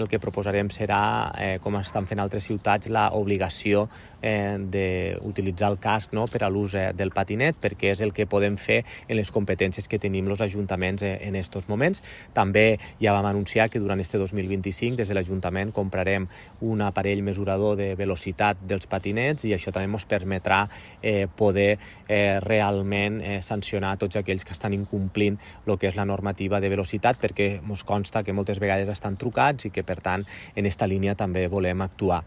El que proposarem serà, com estan fent altres ciutats, l'obligació d'utilitzar el casc per a l'ús del patinet, perquè és el que podem fer en les competències que tenim els ajuntaments en aquests moments. També ja vam anunciar que durant este 2025 des de l'Ajuntament comprarem un aparell mesurador de velocitat dels patinets i això també ens permetrà poder realment sancionar tots aquells que estan incomplint el que és la normativa de velocitat, perquè ens consta que moltes vegades estan trucats i que, per tant, en aquesta línia també volem actuar.